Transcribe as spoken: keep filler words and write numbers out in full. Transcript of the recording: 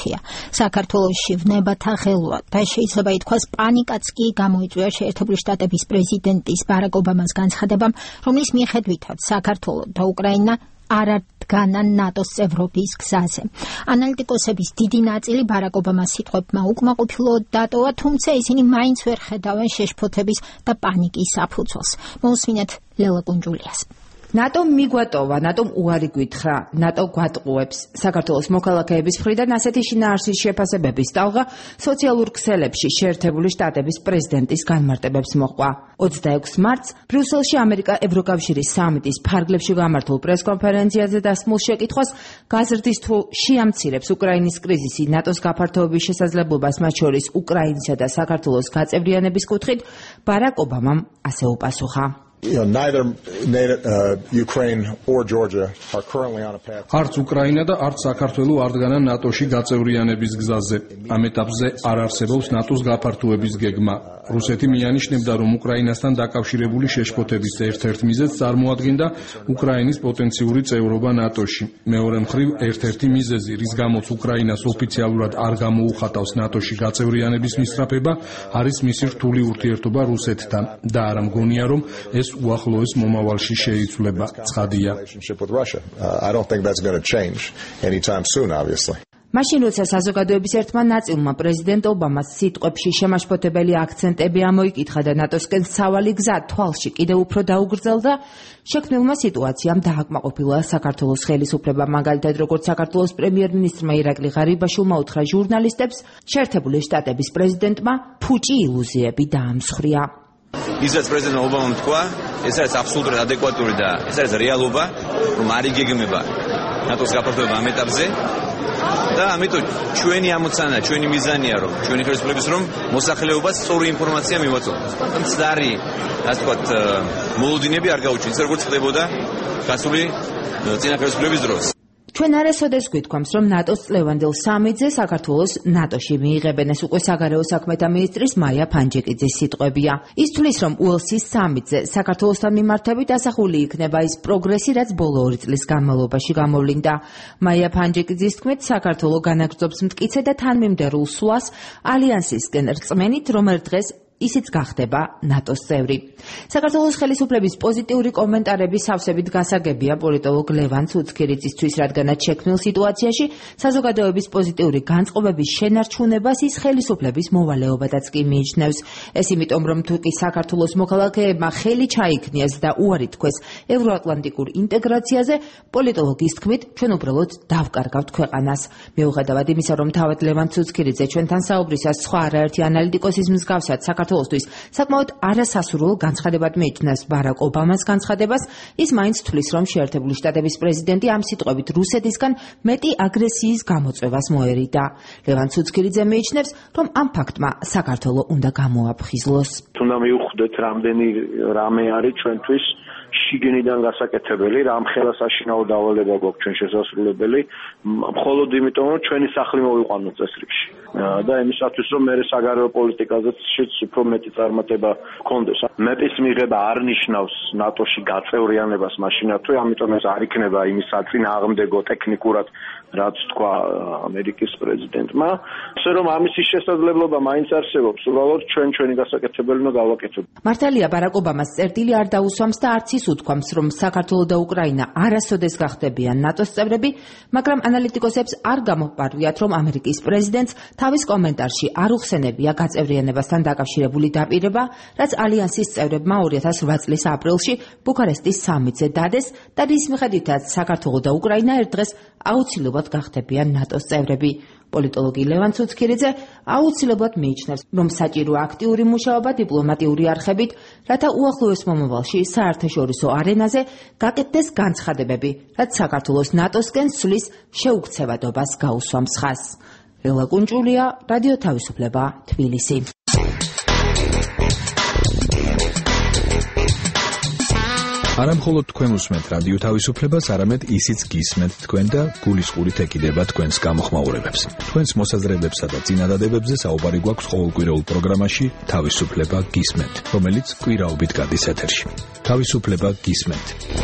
მართია. საქართველოში ვნებათა ღელვა და შეიძლება ითქვას პანიკაც კი გამოიწვია შეერთებული შტატების პრეზიდენტის ბარაკ ობამას განცხადებამ, რომლის მიხედვითაც საქართველო და უკრაინა არ დგანა ნატოს წევრობის გზაზე. ანალიტიკოსების დიდი ნაწილი ბარაკ ობამას სიტყვებმა უკმაყოფილო დატოვა, თუმცა ისინი მაინც ვერ ხედავენ შეშფოთების და პანიკის საფუძველს. მოусმინეთ ლელა კუნჯულიას. ნატომ მიგვატოვა, ნატომ უარი გვითხრა, ნატო გვატყუებს. საქართველოს მოქალაქეების მხრიდან ასეთი შინაარსის შეფასებების ტალღა სოციალურ ქსელებში შეერთებული შტატების პრეზიდენტის განმარტებებს მოჰყვა. ოცდაექვსი მარტს ბრიუსელში ამერიკა-ევროკავშირის სამიტის ფარგლებში გამართულ პრესკონფერენციაზე დასმულ შეკითხვას გაზრდის თუ შეამცირებს უკრაინის კრიზისი ნატოს გაფართოების შესაძლებლობას, მათ შორის უკრაინისა და საქართველოს გაწევრიანების კუთხით, ბარაკ ობამამ ასე უპასუხა. You know, neither, neither uh, Ukraine or Georgia are currently on a path. არც უკრაინა და არც საქართველო არ დგანან ნატოში გაწევრიანების გზაზე. ამ ეტაპზე არ არსებობს ნატოს გაფართოების გეგმა. რუსეთი მიანიშნებდა, რომ უკრაინასთან დაკავშირებული შეშფოთების ერთ-ერთ მიზეზს წარმოადგენდა უკრაინის პოტენციური წევრობა ნატოში. მეორე მხრივ, ერთ-ერთი მიზეზი, რის გამოც უკრაინას ოფიციალურად არ გამოუხატავს ნატოში გაწევრიანების მისწრაფება, არის მისი რთული ურთიერთობა რუსეთთან და არ მგონია, რომ ეს უახლოეს მომავალში შეიცვლება. ცხადია. I don't think that's going to change anytime soon, obviously. მაშინ როცა საზოგადოების ერთმა ნაწილმა პრეზიდენტ ობამას სიტყვებში შემაშფოთებელი აქცენტები ამოიკითხა და ნატოსკენ სავალი გზა თვალში კიდევ უფრო დაუგრძელდა, შექმნილმა სიტუაციამ დააკმაყოფილა საქართველოს ხელისუფლება, მაგალითად როგორც საქართველოს პრემიერ-მინისტრმა ირაკლი ღარიბაშვილმა უთხრა ჟურნალისტებს, შეერთებული შტატების პრეზიდენტმა ფუჭი ილუზიები დაამსხვრია. ისაც პრეზიდენტ ობამამ თქვა, ეს არის აბსოლუტურად ადეკვატური და ეს არის რეალობა, რომ არ იგეგმება ნატოს გაფართოება ამ ეტაპზე და ამიტომ ჩვენი ამოცანა, ჩვენი მიზანია, რომ ჩვენი ხელისუფლების რომ მოსახლეობას სწორი ინფორმაცია მივაწოდოს. მცდარი, ასე ვთქვათ, მოლოდინები არ გაუჩინოს, როგორც ხდებოდა გასული წინა ხელისუფლების დროს. ჩვენ არასოდეს გვითქვამს, რომ ნატოს წლევანდელ სამიტზე საქართველოს ნატოში მიიღებენ, ეს უკვე საგარეო საქმეთა მინისტრის მაია ფანჯიკიძის სიტყვებია. ის თვლის, რომ უელსის სამიტზე საქართველოსთან მიმართებით ასახული იქნება ის პროგრესი, რაც ბოლო ორი წლის განმავლობაში გამოვლინდა. მაია ფანჯიკიძის თქმით, საქართველო განაგრძობს მტკიცე და თანმიმდევრულ სვლას ალიანსისკენ რწმენით, რომ ერთ დღეს ისიც გახდება ნატოს წევრი. საქართველოს ხელისუფლების პოზიტიური კომენტარები სავსებით გასაგებია პოლიტოლოგ ლევან ცუცქირიძისთვის, რადგანაც შექმნილ სიტუაციაში საზოგადოების პოზიტიური განწყობების შენარჩუნებას ის ხელისუფლების მოვალეობადაც კი მიიჩნევს. ეს იმიტომ, რომ თუ კი საქართველოს მოქალაქეებმა ხელი ჩაიქნიეს და უარი თქვეს ევროატლანტიკურ ინტეგრაციაზე, პოლიტოლოგის თქმით, ჩვენ უბრალოდ დავკარგავთ ქვეყანას. მიუხედავად იმისა, რომ თავად ლევან ცუცქირიძე ჩვენთან საუბრისას სხვა არაერთი ანალიტიკოსის მსგავსად საქართველოსთვის საკმაოდ არასასურველ განცხადებად მიიჩნევს ბარაკ ობამას განცხადებას, ის მაინც თვლის, რომ შეერთებული შტატების პრეზიდენტი ამ სიტყვებით რუსეთისგან მეტი აგრესიის გამოწვევას მოერიდა. ლევან ცუცქირიძე მიიჩნევს, რომ ამ ფაქტმა საქართველო უნდა გამოაფხიზლოს. თუნდა მივხვდეთ, რამდენი რამე არის ჩვენთვის შიგნიდან გასაკეთებელი, რამხელა საშინაო დავალება გვაქვს ჩვენ შესასრულებელი, მხოლოდ იმიტომ, რომ ჩვენი სახლი მოვიყვანოთ წესრიგში. და იმისათვის, რომ მე საგარეო პოლიტიკაზეც უფრო მეტი წარმატება გქონდეს. მეპის მიღება არ ნიშნავს ნატოში გაწევრიანებას მაშინათვე, ამიტომ ეს არ იქნება იმის საწინააღმდეგო ტექნიკურად, რაც თქვა ამერიკის პრეზიდენტმა. ასე რომ ამის შესაძლებლობა მაინც არსებობს, უბრალოდ ჩვენ ჩვენი გასაკეთებელი უნდა გავაკეთოთ. მართალია ბარაკ ობამას წერტილი არ დაუსვამს და არც ის უთქვამს, რომ საქართველო და უკრაინა არასოდეს გახდებიან ნატოს წევრები, მაგრამ ანალიტიკოსებს არ გამოპარვიათ, რომ ამერიკის პრეზიდენტს თავის კომენტარში არ უხსენებია გაწევრიანებასთან დაკავშირებული დაპირება, რაც ალიანსის წევრებმა ორი ათას ოთხ წლის აპრილში ბუქარესტის სამიტზე დადეს და რის მიხედვითაც საქართველო და უკრაინა ერთ დღეს აუცილებლად გახდებიან ნატოს წევრები. პოლიტოლოგი ლევან ცუცქირიძე აუცილებლად მიიჩნევს, რომ საჭიროა აქტიური მუშაობა დიპლომატიური არხებით, რათა უახლოეს მომავალში საერთაშორისო არენაზე გაკეთდეს განცხადებები, რაც საქართველოს ნატოსკენ სვლის შეუქცევადობას გაუსვამს ხაზს. ლელა კუნჯულია, რადიო თავისუფლება, თბილისი. არა მხოლოდ თქვენ უსმენთ რადიო თავისუფლებას, არამედ ისიც გისმენთ თქვენ და გულისყურით ეკიდება თქვენს გამოხმაურებებს. თქვენს მოსაზრებებსა და წინადადებებზე საუბარი გვაქვს ყოველკვირეულ პროგრამაში თავისუფლება გისმენთ, რომელიც კვირაობით გადის ეთერში. თავისუფლება გისმენთ.